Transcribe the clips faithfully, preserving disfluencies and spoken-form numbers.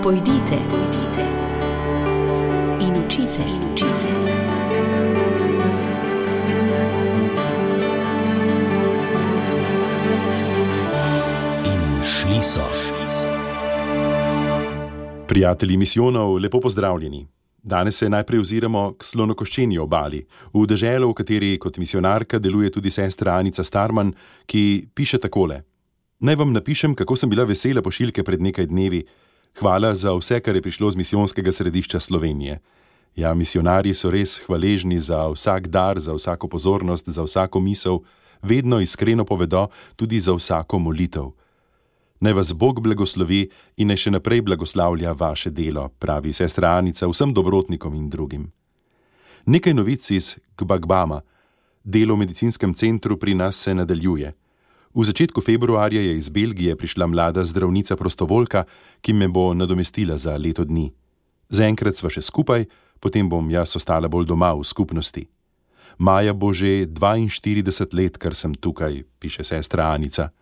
Pojdite, pojdite in učite, in učite. In šli so. Prijatelji misijonov, lepo pozdravljeni. Danes se najprej oziramo k Slonokoščeni obali, v deželo, v kateri kot misionarka deluje tudi sestra Anica Starman, ki piše takole. Naj vam napišem, kako sem bila vesela pošiljke pred nekaj dnevi. Hvala za vse, kar je prišlo z misijonskega središča Slovenije. Ja, misionarji so res hvaležni za vsak dar, za vsako pozornost, za vsako misel, vedno iskreno povedo tudi za vsako molitev. Naj vas Bog blagoslovi in naj še naprej blagoslavlja vaše delo, pravi sestra Anica vsem dobrotnikom in drugim. Nekaj novic iz Gbagbama. Delo v medicinskem centru pri nas se nadaljuje. V začetku februarja je iz Belgije prišla mlada zdravnica prostovoljka, ki me bo nadomestila za leto dni. Zaenkrat sva še skupaj, potem bom jaz ostala bolj doma v skupnosti. Maja bo že dvainštirideset let, kar sem tukaj, piše sestra Anica.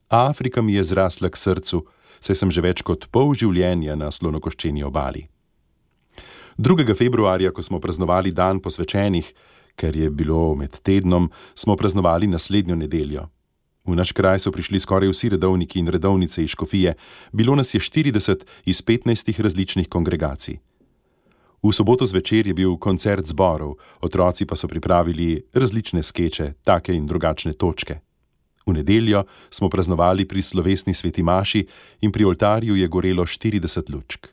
Afrika mi je zrasla k srcu, saj sem že več kot pol življenja na Slonokoščeni obali. drugega februarja, ko smo praznovali dan posvečenih, ker je bilo med tednom, smo praznovali naslednjo nedeljo. V naš kraj so prišli skoraj vsi redovniki in redovnice iz škofije, bilo nas je štirideset iz petnajstih različnih kongregacij. V soboto zvečer je bil koncert zborov, otroci pa so pripravili različne skeče, take in drugačne točke. V nedeljo smo praznovali pri slovesni sveti maši in pri oltarju je gorelo štirideset lučk.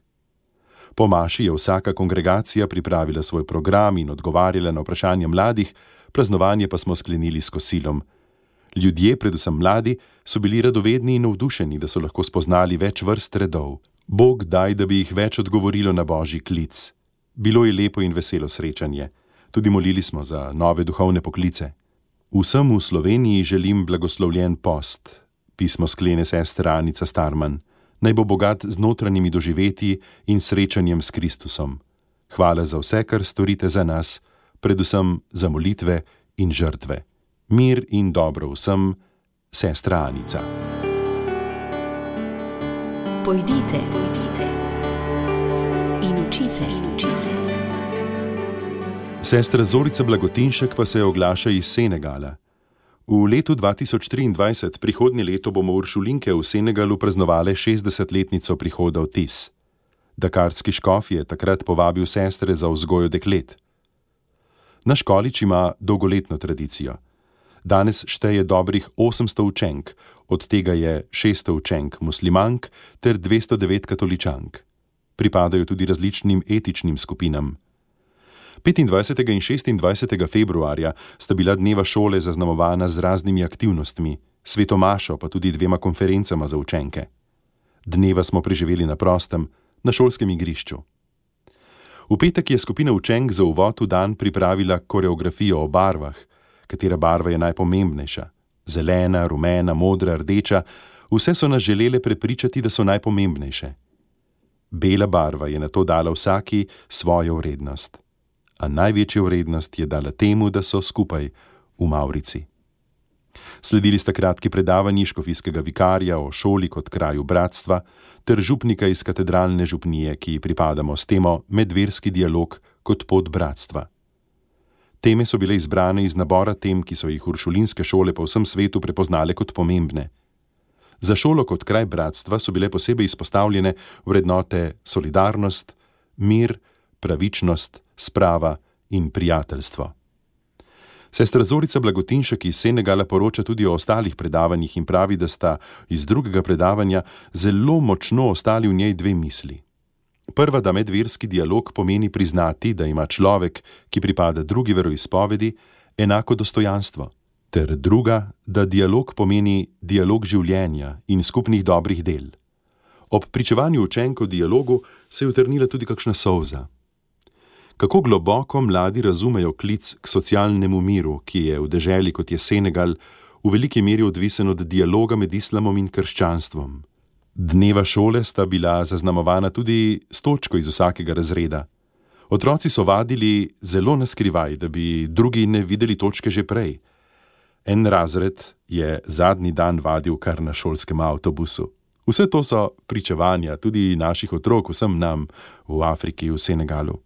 Po maši je vsaka kongregacija pripravila svoj program in odgovarjala na vprašanja mladih, praznovanje pa smo sklenili s kosilom. Ljudje, predvsem mladi, so bili radovedni in navdušeni, da so lahko spoznali več vrst redov. Bog daj, da bi jih več odgovorilo na božji klic. Bilo je lepo in veselo srečanje. Tudi molili smo za nove duhovne poklice. Vsem v Sloveniji želim blagoslovljen post. Pismo sklene sestra Anica Starman. Naj bo bogat z notranjimi doživetji in srečanjem s Kristusom. Hvala za vse, kar storite za nas, predvsem za molitve in žrtve. Mir in dobro vsem, sestra Anica. Pojdite, pojdite in učite, in učite. Sestra Zorica Blagotinšek pa se oglaša iz Senegala. V letu dva tisoč triindvajset, prihodnje leto, bomo uršulinke v Senegalu praznovale šestdesetletnico prihoda v Tis. Dakarski škof je takrat povabil sestre za vzgojo deklet. Naš količ ima dolgoletno tradicijo. Danes šteje dobrih osemsto učenk, od tega je šeststo učenk muslimank ter dvesto devet katoličank. Pripadajo tudi različnim etičnim skupinam. petindvajsetega in šestindvajsetega februarja sta bila dneva šole zaznamovana z raznimi aktivnostmi, sveto mašo pa tudi dvema konferencama za učenke. Dneva smo preživeli na prostem, na šolskem igrišču. V petek je skupina učenk za uvod v dan pripravila koreografijo o barvah, katera barva je najpomembnejša. Zelena, rumena, modra, rdeča, vse so nas želele prepričati, da so najpomembnejše. Bela barva je nato dala vsaki svojo vrednost. A največjo vrednost je dala temu, da so skupaj v Mavrici. Sledili sta kratki predavanji škofijskega vikarja o šoli kot kraju bratstva ter župnika iz katedralne župnije, ki pripadamo s temo Medverski dialog kot pot bratstva. Teme so bile izbrane iz nabora tem, ki so jih uršulinske šole po vsem svetu prepoznale kot pomembne. Za šolo kot kraj bratstva so bile posebej izpostavljene vrednote solidarnost, mir, pravičnost, sprava in prijateljstvo. Sestra Zorica Blagotinšek iz Senegala poroča tudi o ostalih predavanjih in pravi, da sta iz drugega predavanja zelo močno ostali v njej dve misli. Prva, da medverski dialog pomeni priznati, da ima človek, ki pripada drugi veroizpovedi, enako dostojanstvo. Ter druga, da dialog pomeni dialog življenja in skupnih dobrih del. Ob pričevanju učenk o dialogu se je utrnila tudi kakšna solza. Kako globoko mladi razumejo klic k socialnemu miru, ki je v deželi, kot je Senegal, v veliki meri odvisen od dialoga med islamom in krščanstvom. Dneva šole sta bila zaznamovana tudi s točko iz vsakega razreda. Otroci so vadili zelo na skrivaj, da bi drugi ne videli točke že prej. En razred je zadnji dan vadil kar na šolskem avtobusu. Vse to so pričevanja tudi naših otrok, vsem nam v Afriki, v Senegalu.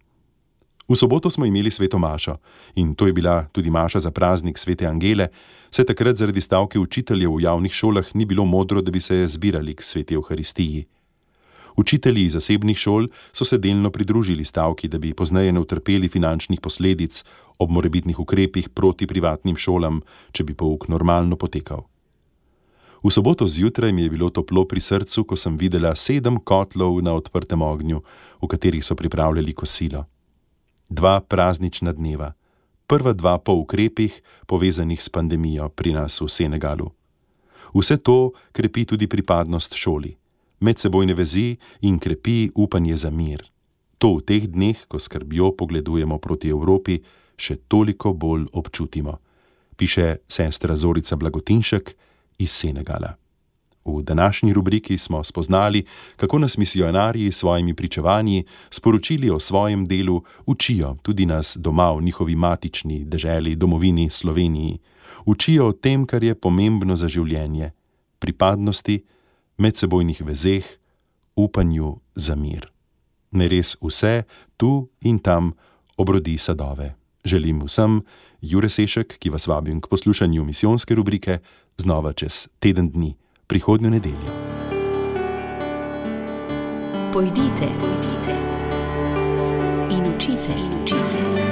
V soboto smo imeli sveto mašo in to je bila tudi maša za praznik svete Angele, saj takrat zaradi stavke učiteljev v javnih šolah ni bilo modro, da bi se zbirali k sveti Evharistiji. Učitelji zasebnih šol so se delno pridružili stavki, da bi pozneje ne utrpeli finančnih posledic ob morebitnih ukrepih proti privatnim šolam, če bi pouk normalno potekal. V soboto zjutraj mi je bilo toplo pri srcu, ko sem videla sedem kotlov na odprtem ognju, v katerih so pripravljali kosilo. Dva praznična dneva, prva dva po ukrepih, povezanih s pandemijo pri nas v Senegalu. Vse to krepi tudi pripadnost šoli, medsebojne vezi in krepi upanje za mir. To v teh dneh, ko skrbjo pogledujemo proti Evropi, še toliko bolj občutimo, piše sestra Zorica Blagotinšek iz Senegala. V današnji rubriki smo spoznali, kako nas misijonarji s svojimi pričevanji, sporočili o svojem delu, učijo tudi nas doma v njihovi matični deželi, domovini Sloveniji. Učijo o tem, kar je pomembno za življenje, pripadnosti, medsebojnih vezeh, upanju za mir. Ne res vse, tu in tam, obrodi sadove. Želim vsem, Jure Sešek, ki vas vabim k poslušanju misijonske rubrike, znova čez teden dni, prihodnjo nedeljo. Pojdite, pojdite in učite, in učite.